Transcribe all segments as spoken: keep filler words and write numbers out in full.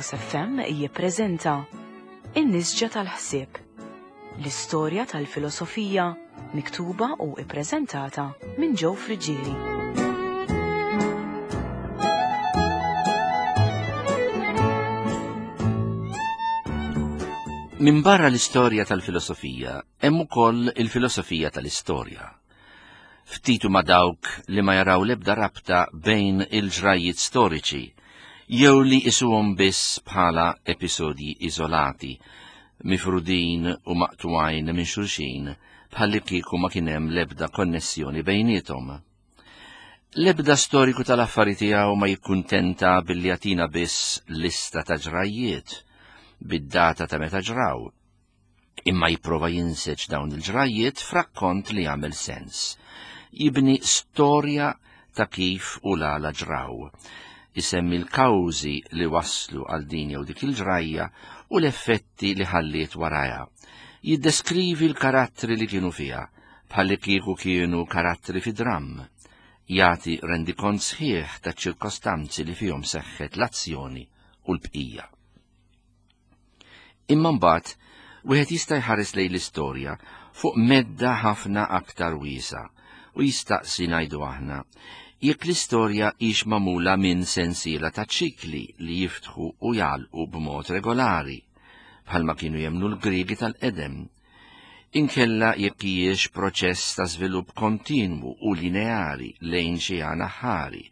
Logos F M jippreżenta In-Nisġa tal-Ħsieb, l-istorja tal-filosofija miktuba u ippreżentata minn Joe Friggieri. Min barra l-istorja tal-filosofija, hemm ukoll il-filosofija tal-istorja. Ftit huma dawk li ma jaraw l-ebda rabta bejn il-ġrajiet storiċi, jew li isuhom biss bħala episodji iżolati, mifrudin u maqtuwajn minn xulxin, bħalli kieku ma kien hemm l-ebda konnessjoni bejniethom. L-ebda storiku tal-affari tiegħu ma jikkuntenta billi jagħtina biss lista ta' ġrajiet bid-data ta' meta ġraw, imma jipprova jinseġ dawn il-ġrajiet f'rakkont li jagħmel sens. Jibni storja ta' kif u l-għala ġraw, isemmi l-kawżi li waslu għal din jew dik il-ġrajja u l-effetti li ħalliet warajha. Jiddeskrivi l-karattri li kienu fiha, bħalli kieku kienu karattri fi dramm. Jagħti rendikont sħiħ ta' ċirkostanzi li fihom seħħet l-azzjoni u l-bqija. Imma mbagħad wieħed jista' jħares lejn l-istorja fuq medda ħafna aktar wiesa' u jistaqsi, ngħidu aħna, jekk l-istorja hix magħmula minn sensiela ta' ċikli li jiftħu u jagħlqu b'mod regolari, bħalma kienu jemmnu l-Griegi tal-qedem, inkella jekk hijiex proċess ta' żvilupp kontinwu u lineari lejn xi għan aħħari,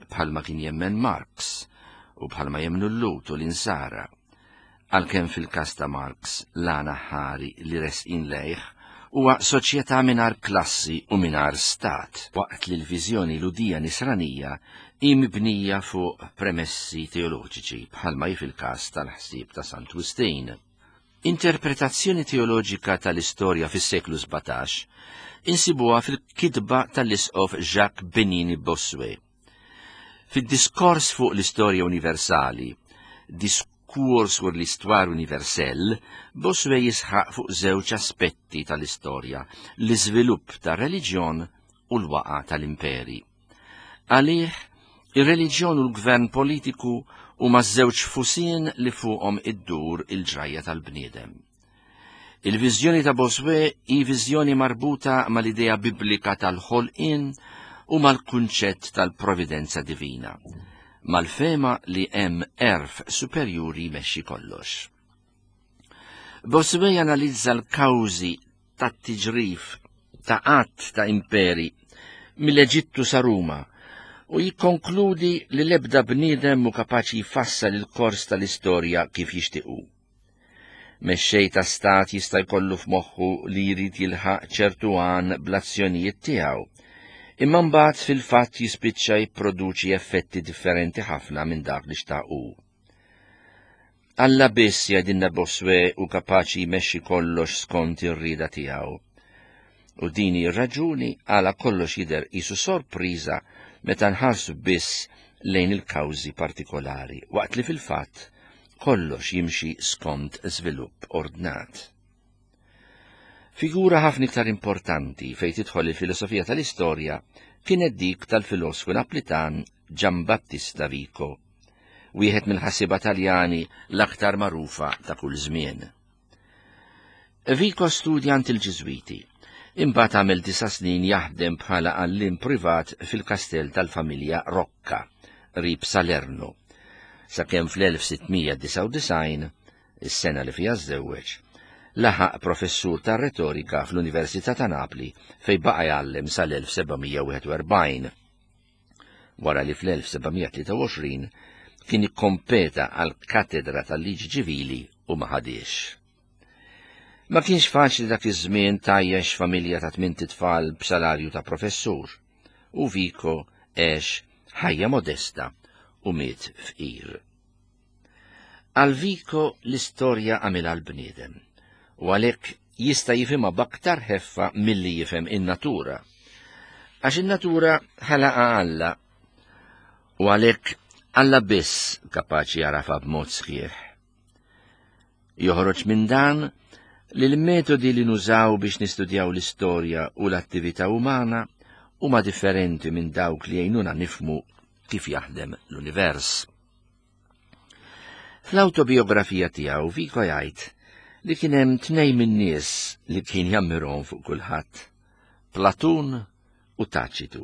bħalma kien jemmen Marx u bħalma jemmnu l-Lhud u l-Insara. Għalkemm fil-każ ta' Marx l-għan aħħari li resqin lejh huwa soċjetà mingħajr klassi u mingħajr stat, waqt li l-viżjoni Lhudija Nisranija hi mibnija fuq premessi teoloġiċi, bħalma hi fil-każ tal-ħsieb ta' Sant Wistin. Interpretazzjoni teoloġika tal-istorja fis-seklu sbatax insibuha fil-kitba tal-isqof Jacques Benini Bossuet. Fid-diskors fuq l-istorja universali, Discours sur l'histoire universelle, Bossuet jisħaq fuq żewġ aspetti tal-istorja, l-iżvilupp tar-reliġjon u l-waqa tal-imperi. Għalih, ir-reliġjon u l-gvern politiku huma żewġ fusien li fuqhom iddur il-ġrajja tal-bniedem. Il-viżjoni ta' Bossuet hi viżjoni marbuta mal-idea biblika tal-ħolqien u mal-kunċett tal-providenza divina, mal-fema li hemm għerf superjuri jmexxi kollox. Bossuet janalizza l-kawżi tat-tiġrif ta' qatt ta' imperi mill-Eġittu sa Ruma u jikkonkludi li l-ebda bniedem mhu kapaċi jfassal il-kors tal-istorja kif jixtiequ. Mexxej ta' stat jista' jkollu f'moħħu li jrid jilħaq ċertu għan bl-azzjonijiet tiegħu, imma mbagħad fil-fatt jispiċċa jipproduċi effetti differenti ħafna minn dak li xtaqu. Alla biss, jgħidilna Bossuet, hu kapaċi jmexxi kollox skont ir-rieda tiegħu. U din hi r-raġuni għala kollox jidher qisu sorpriża meta nħarsu biss lejn il-kawżi partikolari, waqt li fil-fatt kollox jimxi skont żvilupp ordnat. Figura ħafna iktar importanti fejn tidħol il-filosofija tal-istorja kienet dik tal-filosfu Naplitan Giambattista Vico, wieħed mill-ħassieba Taljani l-aktar magħrufa ta' kull żmien. Vico studja għand il-Ġiżwiti, imbagħad għamel disa' snin jaħdem bħala għalliem privat fil-kastell tal-familja Rocca, qrib Salerno, sakemm fl-elf sittmija disgħa u disgħin, is-sena li fiha żżewweġ, laħaq professur ta' retorika fl-Università ta' Napli fej baqa' jgħallem sal-elf sebgħamija wieħed u erbgħin. Wara li fl-elf sebgħamija tlieta u għoxrin kien ikkompeta għal katedra tal-liġi ċivili u ma ħadiex. Ma kienx faċli dak iż-żmien tajjex familja ta' tmint itfal b'salarju ta' professur, u Vico għex ħajja modesta u miet fqir. Għal Vico l-istorja għamilha l-bniedem, u għalhekk jista' jifhimha b'aktar ħeffa milli jifhem in-natura. Għax in-natura ħalaqa Alla, u għalhekk Alla biss kapaċi jagħrafha b'mod sħiħ. Joħroġ minn dan li l-metodi li nużaw biex nistudjaw l-istorja u l-attività umana huma differenti minn dawk li jgħinuna nifhmu kif jaħdem l-univers. Fl-awtobiografija tiegħu Vico jgħid li kien hemm tnejn min-nies li kien jammirhom fuq kulħadd, Platun u Taċitu.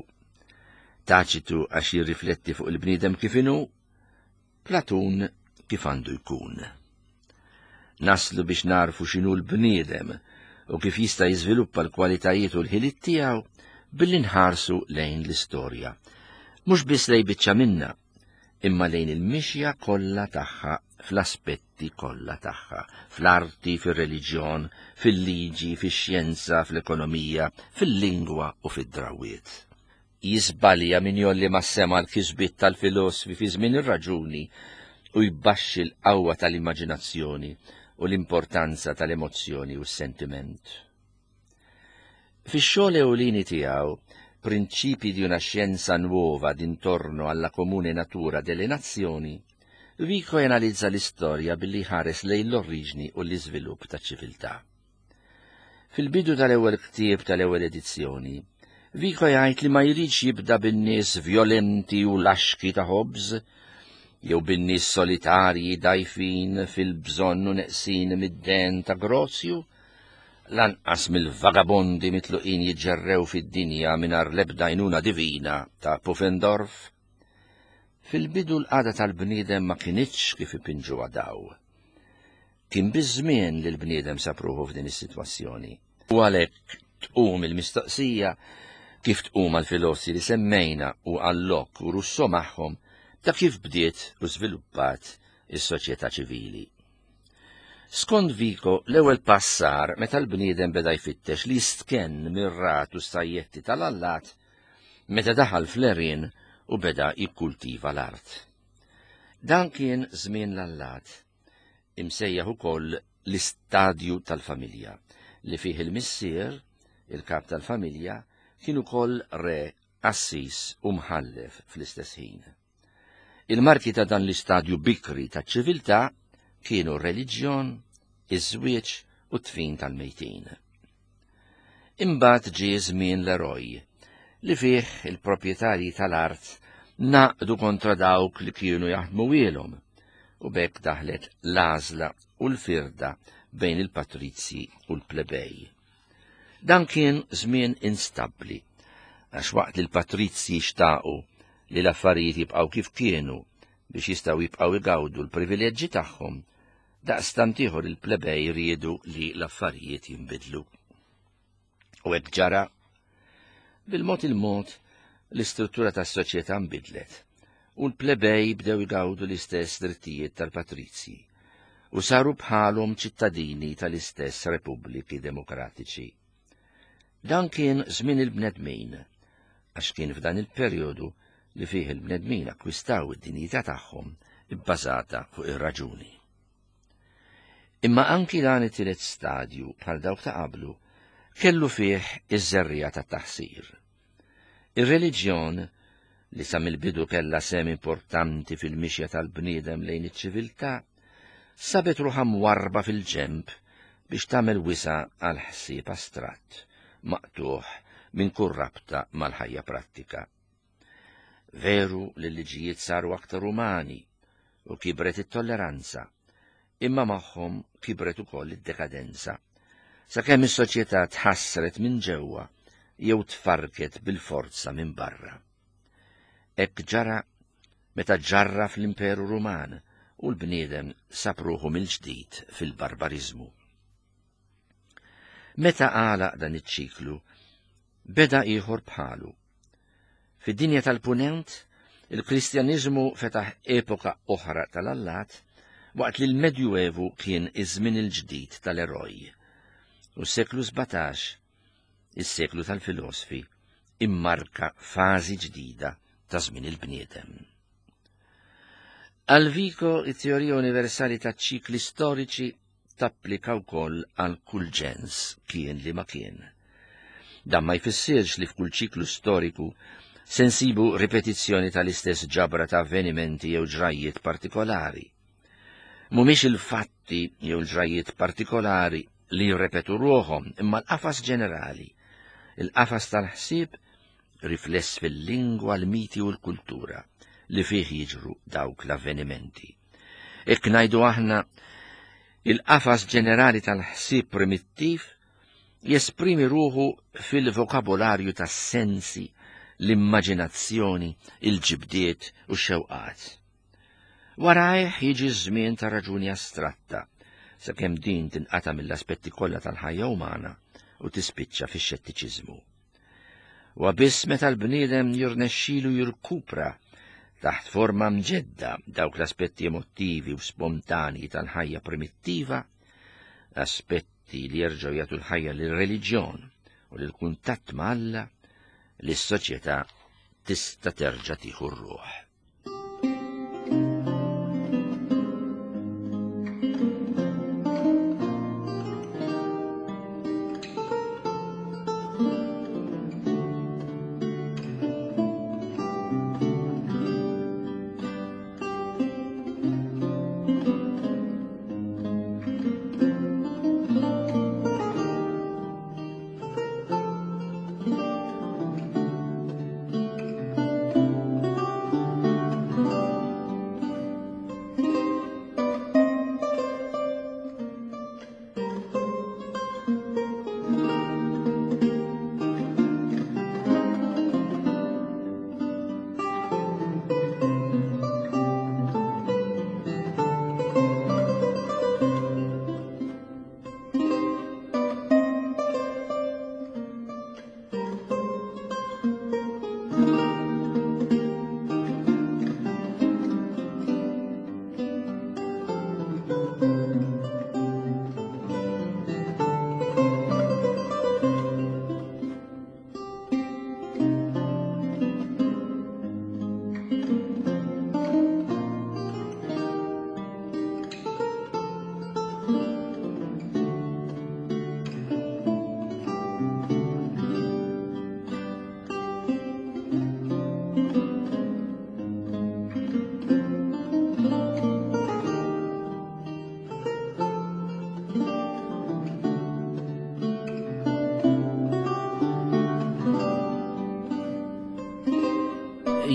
Taċitu għax jirrifletti fuq il-bniedem kif inhu, Platun kif għandu jkun. Naslu biex narfu x'inhu l-bniedem u kif jista' jiżviluppa l-kwalitajiet u l-ħiliet tiegħu billi nħarsu lejn l-istorja. Mhux biss lejn biċċa minna, imma lejn il-mixja kollha tagħha fl-aspetti kollha tagħha, fl-arti, fir-reliġjon, fil-liġi, fix-xjenza, fl-ekonomija, fil-lingwa u fid-drawiet. Jiżbalja min jgħolli mas-sema l-kisbiet tal-filosfi fi żmien ir-raġuni u jbaxxi l-qawwa tal-immaġinazzjoni u l-importanza tal-emozzjoni u s-sentiment. Fix-xogħol ewlieni tiegħu, Principi di una scienza nuova d'intorno alla comune natura delle nazioni, Vico analizza l-istorja billi ħares lejn l-oriġni u l-iżvilupp ta' ċiviltà. Fil-bidu tal-ewwel ktieb tal-ewwel edizzjoni, Vico jgħid li ma jridx jibda bin-nies vjolenti u laxki ta' Hobbes, jew bin-nies solitarji dajfin fil-bżonn u neqsin mid-den ta' Grozju, lanqas mill-vagabondi mitluqin jiġġerrew fid-dinja mingħajr l-ebda għajnuna divina ta' Pufendorf. Fil-bidu l-qagħda tal-bniedem ma kinitx kif ipinġuha daw. Kien biż-żmien li l-bniedem sab ruħu f'din is-sitwazzjoni. U għalhekk tqum il-mistoqsija kif tqum għall-filosfi li semmejna u għal Locke u Rousseau magħhom ta' kif bdiet u żviluppat is-soċjetà ċivili. Skont Vico, l-ewwel pass sar meta l-bniedem beda jfittex li jistkenn mir-rat u s-sajjetti tal-allat meta daħal fl-għerien u beda jikkultiva l-art. Dan kien żmien l-allat, imsejjaħ ukoll l-istadju tal-familja, li fih il-missier, il-kap tal-familja, kien ukoll re, qassis u mħallef fl-istess ħin. Il-marki ta' dan l-istadju bikri ta' ċiviltà kienu r-reliġjon, iż-żwieġ u t-tfin tal-mejtin. Imbagħad ġie żmien l-eroj, li fih il-proprjetarji tal-art naqdu kontra dawk li kienu jaħdmu wielhom, u b'hekk daħlet l-għażla u l-firda bejn il-patrizji u l-plebej. Dan kien żmien instabbli, għax waqt li l-patrizji xtaqu li l-affarijiet jibqgħu kif kienu biex jistgħu jibqgħu igawdu l-privileġġi tagħhom, daqstant ieħor il-plebej riedu li l-affarijiet jinbidlu. U hekk ġara. Bil-mod il-mod l-istruttura tas-soċjetà nbidlet u l-plebej bdew igawdu l-istess drittijiet tal-patrizji u saru bħalhom ċittadini tal-istess repubbliki demokratiċi. Dan kien żmien il-bnedmin, għax kien f'dan il-perjodu li fih il-bnedmin akkwistaw id-dinjità tagħhom ibbażata fuq ir-raġuni. Imma anki dan it-tielet stadju bħal dawk ta' qablu kellu fih iż-żerriegħa tat-taħsir. Ir-reliġjon, li sa mill-bidu kellha sehem importanti fil-mixja tal-bniedem lejn iċ-ċiviltà, sabet ruħha mwarrba fil-ġenb biex tagħmel wisa' għal ħsieb astratt, maqtuħ minn kull rabta mal-ħajja prattika. Veru li l-liġijiet saru aktar umani u kibret it-tolleranza, imma magħhom kibret ukoll id-dekadenza, sakemm is-soċjetà tħassret minn ġewwa jew tfarket bil-forza minn barra. Hekk ġara meta ġarra fl-Imperu Ruman u l-bniedem sab ruħu mill-ġdid fil-barbariżmu. Meta għalaq dan iċ-ċiklu, beda ieħor bħalu. Fid-dinja tal-Punent, il-Kristjaniżmu fetaħ epoka oħra tal-allat, waqt li l-Medjuevu kien iż-żmien il-ġdid tal-eroj. U s-seklu sbatax, is-seklu tal-filosfi, immarka fażi ġdida ta' żmien il-bniedem. Għal Vico, it-teorija universali ta' ċikli storiċi tapplika wkoll għal kull ġens kien li ma kien. Dan ma jfissirx li f'kull ċiklu storiku se nsibu ripetizzjoni tal-istess ġabra ta' avvenimenti jew ġrajjiet partikolari. Mhumiex il-fatti jew l-ġrajjiet partikolari li jirrepetu ruħhom, imma l-qafas ġenerali, il-qafas tal-ħsieb rifless fil-lingwa, l-miti u l-kultura li fih jiġru dawk l-avvenimenti. Hekk ngħidu aħna, il-qafas ġenerali tal-ħsieb primittiv jesprimi ruħu fil-vokabolarju tas-sensi, l-immaġinazzjoni, il-ġibdiet u x-xewqat. Warajh jiġi ż-żmien ta' raġuni astratta, sakemm din tinqata' mill-aspetti kollha tal-ħajja umana u tispiċċa fix-xettiċiżmu. Wa biss meta l-bniedem jirnexxilu jirkupra taħt forma mġedda dawk l-aspetti emottivi u spontanji tal-ħajja primittiva, aspetti li jerġgħu jagħtu l-ħajja lir-reliġjon u lill-kuntatt ma' Alla, li s-soċjetà tista' terġa' tieħu r-ruħ.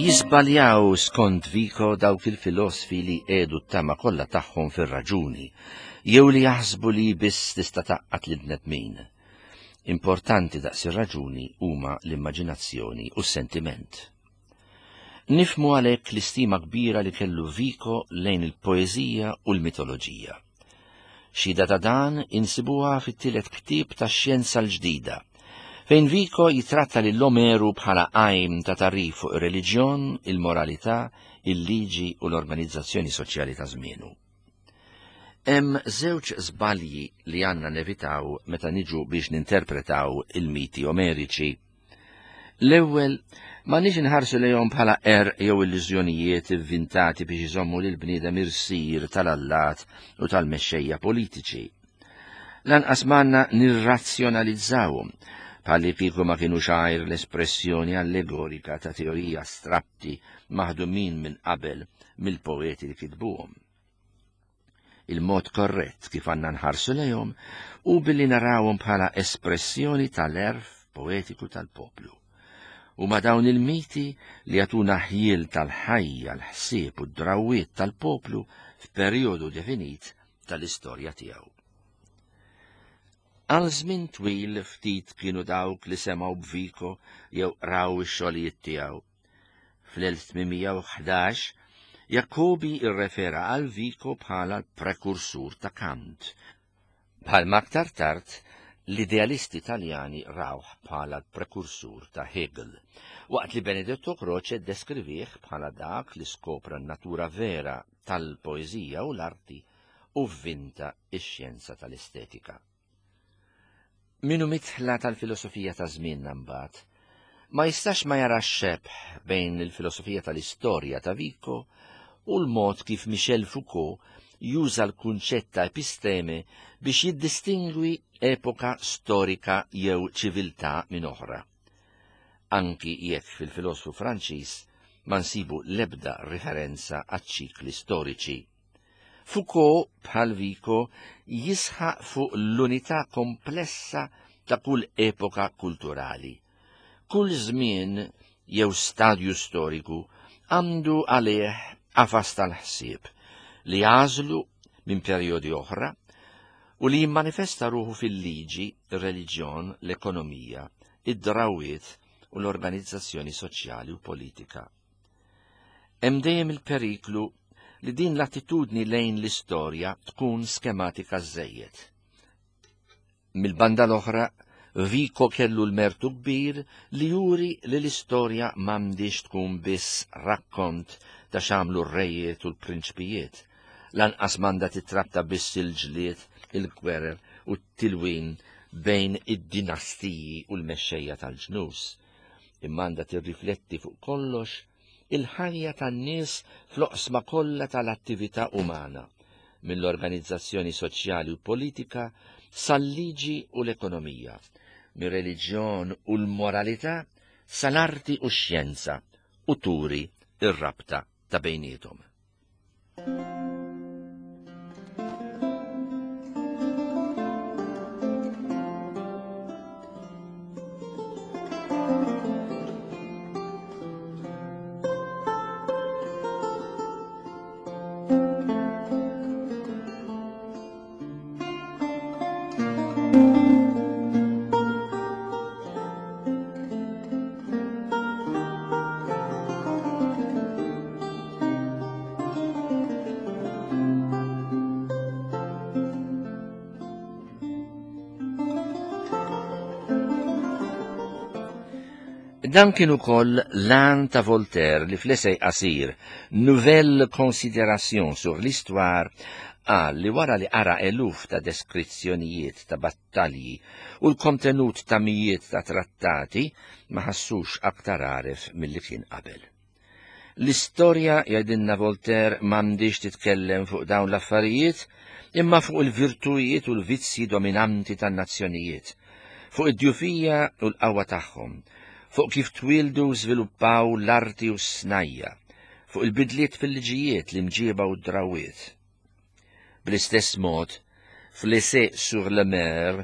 Jisbaljaw skont Vico dawk il-filosfi li qiegħdu t-tama kollha tagħhom fir-raġuni, jew li jaħsbu li biss tista' taqqat lil bnedmin. Importanti daqs ir-raġuni huma l-immaġinazzjoni u s-sentiment. Nifmu għalhekk l-istima kbira li kellu Vico lejn il-poeżija u l-mitoloġija. Xhieda ta' dan insibuha fit-tielet ktieb tax-Xjenza l-Ġdida, fejn Vico jitratta lil Omeru bħala għajm ta' tagħrif fuq ir-reliġjon, il-moralità, il-liġi u l-organizzazzjoni soċjali ta' żmienu. Hemm żewġ żbalji li għandna nevitaw meta niġu biex ninterpretaw il-miti omeriċi. L-ewwel, ma nix inħarsu lejhom bħala qerq jew illużjonijiet ivvintati biex iżommu lil bniedem irsir tal-allat u tal-mexxejja politiċi. Lanqas m'għandna nirrazzjonalizzawhom, bħalli kieku ma kienu xgħajr l-espressjoni allegorika ta' teorija astratti maħdumin minn qabel mill-poeti li kitbuhom. Il-mod korrett kif għandna nħarsu lejhom u billi narawhom bħala espressjoni tal-erf poetiku tal-poplu. U ma dawn il-miti li jagħtuna ħjiel tal-ħajja, l-ħsieb u d-drawwiet tal-poplu f'perjodu definit tal-istorja tiegħu. Għal żmien twil ftit kienu dawk li semgħu b'Vico jew qraw ix-xogħlijiet tiegħu. Fl-elf tmien mija u ħdax, Jacobi irrefera għal Vico bħala l-prekursur ta' Kant. Bħalma aktar tard, l-idealisti Taljani rawh bħala l-prekursur ta' Hegel, waqt li Benedetto Croce ddeskrivih bħala dak li skopra n-natura vera tal-poeżija u l-arti u vvinta x-xjenza tal-estetika. Minu mitħla tal-filosofija ta' żmienna mbagħad, ma jistax ma jarax xebh bejn il-filosofija tal-istorja ta' Vico u l-mod kif Michel Foucault juża l-kunċett ta' episteme biex jiddistingwi epoka storika jew ċiviltà minn oħra. Anki jekk fil-filosfu Franċiż ma nsibu l-ebda riferenza għaċ-ċikli storiċi. Foucault, bħal Vico, jisħaq fuq l-unità komplessa ta' kull epoka kulturali. Kull żmien jew stadju storiku għandu għalih qafas tal-ħsieb li għażlu minn perjodi oħra u li jimmanifesta ruħu fil-liġi, ir-reliġjon, l-ekonomija, id-drawiet u l-organizzazzjoni soċjali u politika. Hemm dejjem il-periklu li din l-attitudni lejn l-istorja tkun skematika żejjed. Mill-banda l-oħra, Vico kellu l-mertu kbir li juri li l-istorja m'għandix tkun biss rakkont ta' x'għamlu r-rejiet u l-prinċpijiet, lanqas m'għandha titratta biss il-ġlied, il-gwerer u t-tilwin bejn id-dinastiji u l-mexxejja tal-ġnus, imma għandha tirrifletti fuq kollox il-ħajja tan-nies fl-oqsma kollha tal-attività umana, mill-organizzazzjoni soċjali u politika sal-liġi u l-ekonomija, mir-reliġjon u l-moralità sal-arti u x-xjenza, u turi ir-rabta ta' bejniethom. Dan kien ukoll l-għan ta' Voltaire li fl-essay qasir Nouvelle Considération sur l'Histoire qal li wara li qara eluf ta' deskrizzjonijiet ta' battalji u l-kontenut ta' mijiet ta' trattati ma ħassux aktar għaref milli kien qabel. L-istorja, jgħidilna Voltaire, m'għandix titkellem fuq dawn l-affarijiet imma fuq il-virtujiet u l-vizzji dominanti tan-nazzjonijiet, fuq id-djufija u l-qawwa tagħhom, fuq kif twildu u żviluppaw l-arti u s-snajja, fuq il-bidliet fil-liġijiet, l-imġiba u d-drawiet. Bl-istess mod, fl-Essai sur le Mer,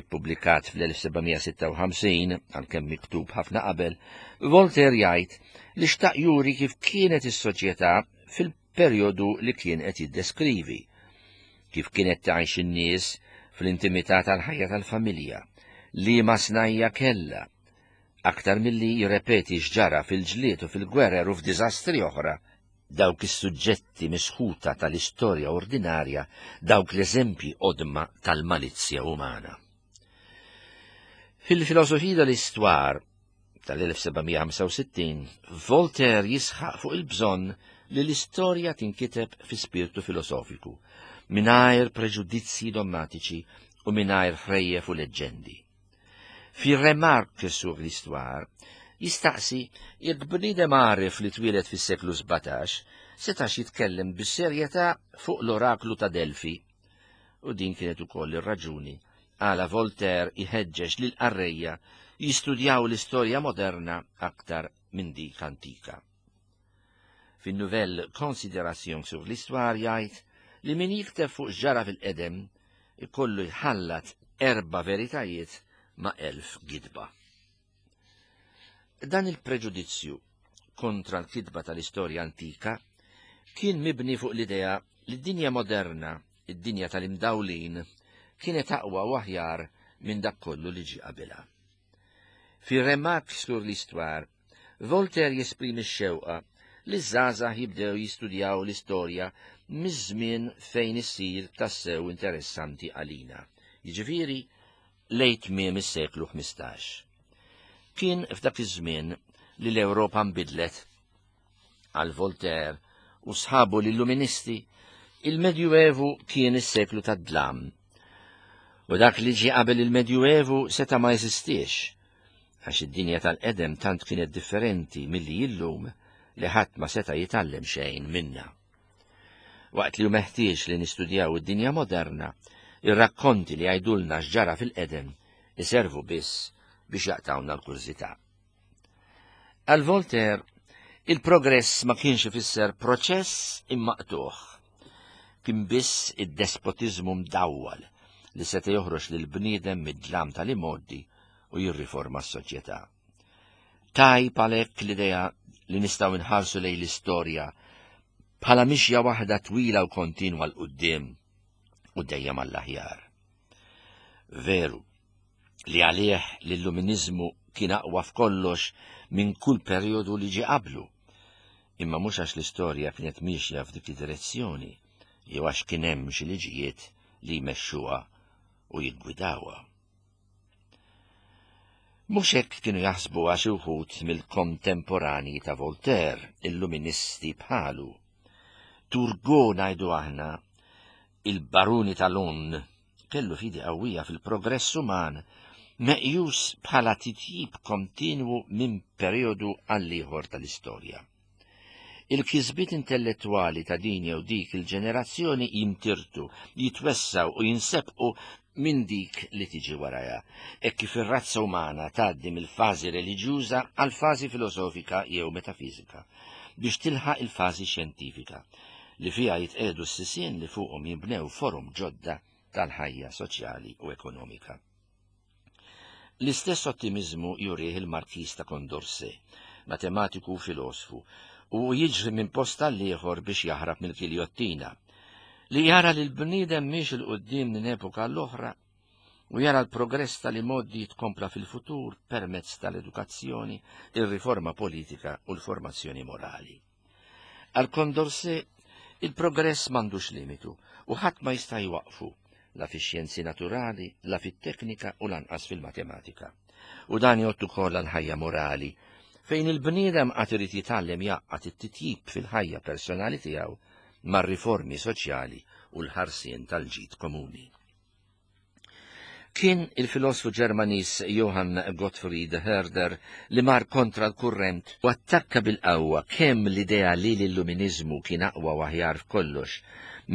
ippubblikat fl-elf sebgħamija sitta u ħamsin, għalkemm miktub ħafna qabel, Voltaire jgħid li xtaq juri kif kienet is-soċjetà fil-perjodu li kien qed jiddeskrivi, kif kienet tgħix in-nies fl-intimità tal-ħajja tal-familja, li ma snajja kellha, aktar milli jirrepeti x'ġara fil-ġlied u fil-gwerer u f'diżastri oħra, dawk is-suġġetti misħuta tal-istorja ordinarja, dawk l-eżempji qodma tal-malizzja umana. Fil-filosofija tal-istwar tal-elf sebgħamija ħamsa u sittin, Voltaire jisħaq fuq il-bżonn li l-istorja tinkiteb fi spirtu filosofiku, mingħajr preġudizzji dommatiċi u mingħajr ħrejjef u leġġendi. Fi Remarque sur l'Histoire jistaqsi jekk bniedem għaref li twieled fis-seklu sbatax setax jitkellem bis-serjetà fuq l-oraklu ta' Delfi. U din kienet ukoll ir-raġuni għala Voltaire iħeġġeġ lil qarrejja jistudjaw l-istorja moderna aktar minn dik antika. Fin-Nouvelle Considération sur l'Histoire jgħid li min jikteb fuq x'ġara fil-qedem ikollu jħallat erba' veritajiet ma' elf gidba. Dan il-preġudizzju kontra l-kitba tal-istorja antika kien mibni fuq l-idea li d-dinja moderna, id-dinja tal-imdawlin, kienet aqwa u aħjar minn dak kollu li ġie qabilha. Fi Remarque sur l'Histoire, Voltaire jesprimi x-xewqa li ż-żgħażagħ jibdew jistudjaw l-istorja miż-żmien fejn issir tassew interessanti għalina, jiġifieri lejn tmiem is-seklu ħmistax. Kien f'dak iż-żmien li l-Ewropa nbidlet. Għal Voltaire u sħabu l-Illuministi, il-Medjuevu kien is-seklu tad-dlam. U dak li ġie qabel il-Medjuevu seta' ma jeżistix, għax id-dinja tal-qedem tant kienet differenti milli illum li ħadd ma seta' jitgħallem xejn minnha. Waqt li hu meħtieġ li nistudjaw id-dinja moderna, ir-rakkonti li jgħidulna x'ġara fil-qedem iservu biss biex jaqtawna l-kurżità. Għal Voltaire, il-progress ma kienx ifisser proċess imma qtuħ. Kien biss id-despotiżmu mdawwal li seta' joħroġ lil bniedem mid-dlam tal-imgħoddi u jirriforma s-soċjetà. Tajb għalhekk l-idea li nistgħu nħarsu lejn l-istorja bħala mixja waħda twila u kontinwa 'l quddiem u dejjem għall-aħjar. Veru li għalih l-Illuminizmu kien aqwa f'kollox minn kull perjodu li ġie qablu, imma mhux għax l-istorja kienet miexja f'dik id-direzzjoni jew għax kien hemm xi liġijiet li jmexxuha u jiggwidawha. Mhux hekk kienu jaħsbu xi wħud mill-kontemporanji ta' Voltaire, illuministi bħalu. Turgot, ngħidu aħna, il-baruni ta' Laon, kellu fidi qawwija fil-progress uman, meqjus bħala titjib kontinwu minn perjodu għall-ieħor tal-istorja. Il-kisbiet intellettwali ta' din jew dik il-ġenerazzjoni jimtirtu, jitwessaw u jinsebqu minn dik li tiġi warajha, hekk kif ir-razza umana tgħaddi mill-fażi reliġjuża għal fażi filosofika jew metafizika, biex tilħaq il-fażi xjentifika, li fiha jitqiegħdu s-sisien li fuqhom jinbnew forom ġodda tal-ħajja soċjali u ekonomika. L-istess ottimizmu jurih il-Markiż ta' Condorcet, matematiku u filosfu, u jiġri minn post għall-ieħor biex jaħrab mill-giljottina, li jara li l-bniedem miexi 'l quddiem minn epoka l-oħra u jara l-progress tal-modi jitkompla fil-futur permezz tal-edukazzjoni, il-riforma politika u l-formazzjoni morali. Għal Condorcet, il-progress m'għandux limitu u ħadd ma jista' jwaqfu, la fix-xjenzi naturali, la fit-teknika u lanqas fil-matematika. U dan jgħoddu ukoll għall-ħajja morali, fejn il-bniedem għad irid jitgħallem jgħaqqad it-titjib fil-ħajja personali tiegħu mar-riformi soċjali u l-ħarsien tal-ġid komuni. Kien il-filosfu Ġermaniż Johann Gottfried Herder li mar kontra l-kurrent u attakka bil-qawwa kemm l-idea li l-Illuminizmu kien aqwa u aħjar f'kollox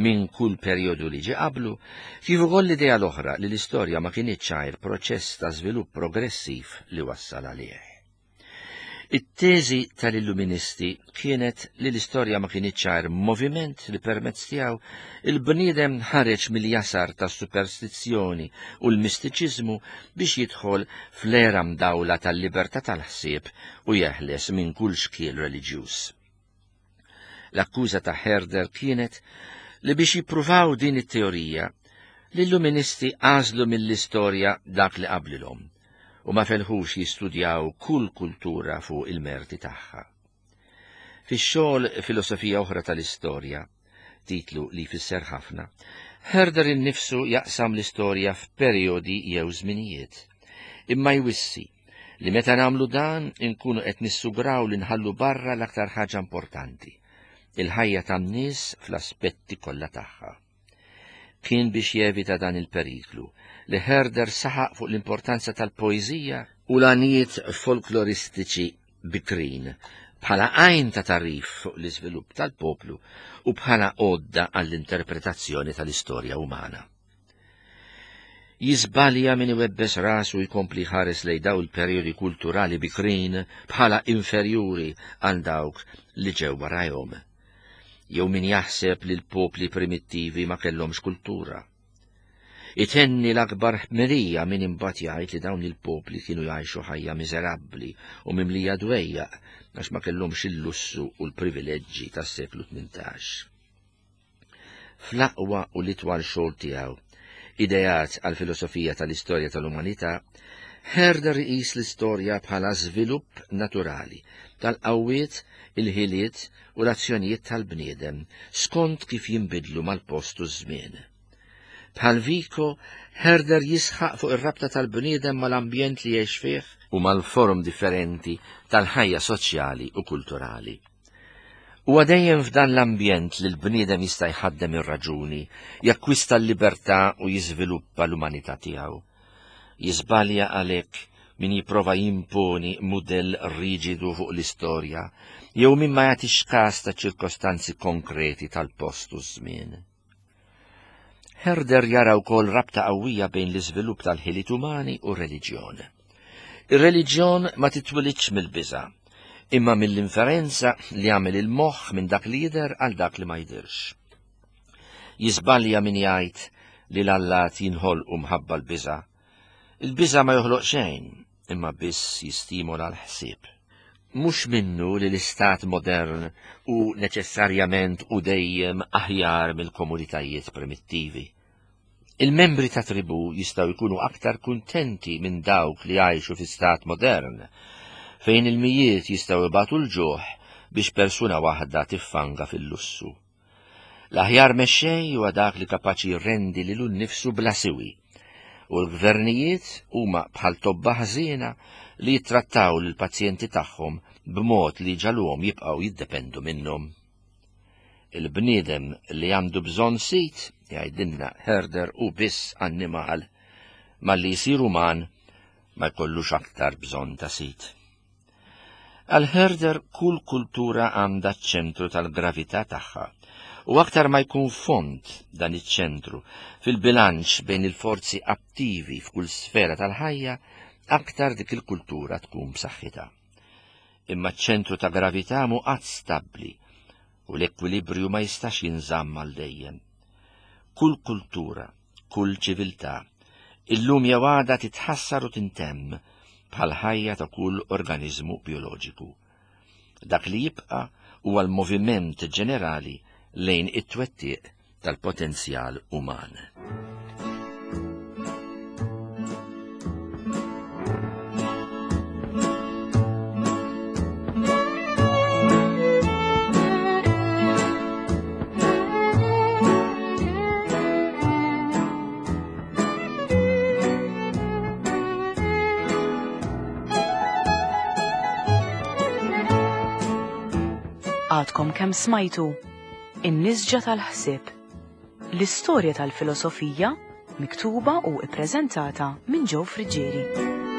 minn kull perjodu li ġie qablu, kif ukoll l-idea l-oħra li l-istorja ma kinitx għajr proċess ta' żvilupp progressiv li wassal għalih. It-teżi tal-Illuministi kienet li l-istorja ma kinitx għajr moviment li permezz tiegħu il-bniedem ħareġ mill-jasar tas-superstizzjoni u l-mistiċiżmu biex jidħol fl-era mdawla tal-libertà tal-ħsieb u jeħles minn kull xkiel reliġjuż. L-akkuża ta' Herder kienet li biex jippruvaw din it-teorija, l-Illuministi għażlu mill-istorja dak li qablilhom u ma felħux jistudjaw kull kultura fuq il-merti tagħha. Fix-xogħol Filosofija Oħra tal-Istorja, titlu li jfisser ħafna, Herder innifsu jaqsam l-istorja f'perjodi jew żminijiet, imma jwissi li meta nagħmlu dan inkunu qed nissugraw li nħallu barra l-aktar ħaġa importanti, il-ħajja tan-nies fl-aspetti kollha tagħha. Kien biex jevita dan il-periklu li Herder saħaq fuq l-importanza tal-poeżija u l-għanijiet folkloristiċi bikrin bħala għajn ta' tagħrif fuq l-iżvilupp tal-poplu u bħala għodda għall-interpretazzjoni tal-istorja umana. Jiżbalja min iwebbes rasu jkompli ħares lejn daw il-perjodi kulturali bikrin bħala inferjuri għal dawk li ġew warajhom, jew min jaħseb li l-popli primittivi ma kellhomx kultura. Itenni l-akbar ħmerija min imbagħad jgħid li dawn il-popli kienu jgħixu ħajja miżerabbli u mimlija dwejjaq għax ma kellhomx il-lussu u l-privileġġi tas-seklu tmintax. Fl-aqwa u l-itwal xogħol tiegħu, Ideat għal filosofija tal-istorja tal-umanità, Herder iqis l-istorja bħala żvilupp naturali tal-qawwiet, il-ħiliet u l-azzjonijiet tal-bniedem skont kif jinbidlu mal-post u ż-żmien. Bħal Vico, Herder jisħaq fuq ir-rabta tal-bniedem mal-ambjent li jgħix fih u mal-forum differenti tal-ħajja soċjali u kulturali. Huwa dejjem f'dan l-ambjent li l-bniedem jista' jħaddem ir-raġuni, jakkwista l-libertà u jiżviluppa l-umanità tiegħu. Jiżbalja għalhekk min jipprova jimponi mudell riġidu fuq l-istorja jew min ma jagħtix każ ta' ċirkostanzi konkreti tal-post u ż-żmien. Herder jara wkoll rabta qawwija bejn l-iżvilupp tal-ħiliet umani u r-reliġjon. Ir-reliġjon ma titwilidx mill-biża', imma mill-inferenza li għamel il-moħħ minn dak li jidher għal dak li ma jidhirx. Jiżbalja min jgħid li l-allat jinħolqu mħabba l-biża'. Il-biża' ma joħloq xejn, imma biss jistimola l-ħsieb. Mhux minnu li l-istat modern hu neċessarjament u dejjem aħjar mill-komunitajiet primittivi. Il-membri ta' tribù jistgħu jkunu aktar kuntenti minn dawk li jgħixu fi stat modern, fejn il-mijiet jistgħu jbatu l-ġuħ biex persuna waħda tiffanga fil-lussu. L-aħjar mexxej huwa dak li kapaċi jirrendi lilu nnifsu bla siwi, u l-gvernijiet huma bħal tobba ħżiena li jittrattaw lill-pazjenti tagħhom b'mod li ġaluhom jibqgħu jiddependu minnhom. Il-bniedem li għandu bżonn sit, jgħidilna Herder, u biss annimal, malli jsir uman ma jkollux aktar bżonn ta' sit. Għal Herder kull kultura għandha ċ-ċentru tal-gravità tagħha, u aktar ma jkun fond dan iċ-ċentru fil-bilanċ bejn il-forzi attivi f'kull sfera tal-ħajja, aktar dik il-kultura tkun b'saħħitha. Imma ċ-ċentru ta' gravità mhu qatt stabbli u l-ekwilibrju ma jistax jinżamm għal dejjem. Kull kultura, kull ċiviltà, illum jew għada titħassar u tintemm bħal ħajja ta' kull organizmu bioloġiku. Dak li jibqa' huwa l-moviment ġenerali lejn it-twettiq tal-potenzjal uman. Għadkom kemm smajtu In-Nisġa tal-Ħsieb, l-istorja tal-filosofija miktuba u ippreżentata minn Joe Friggieri.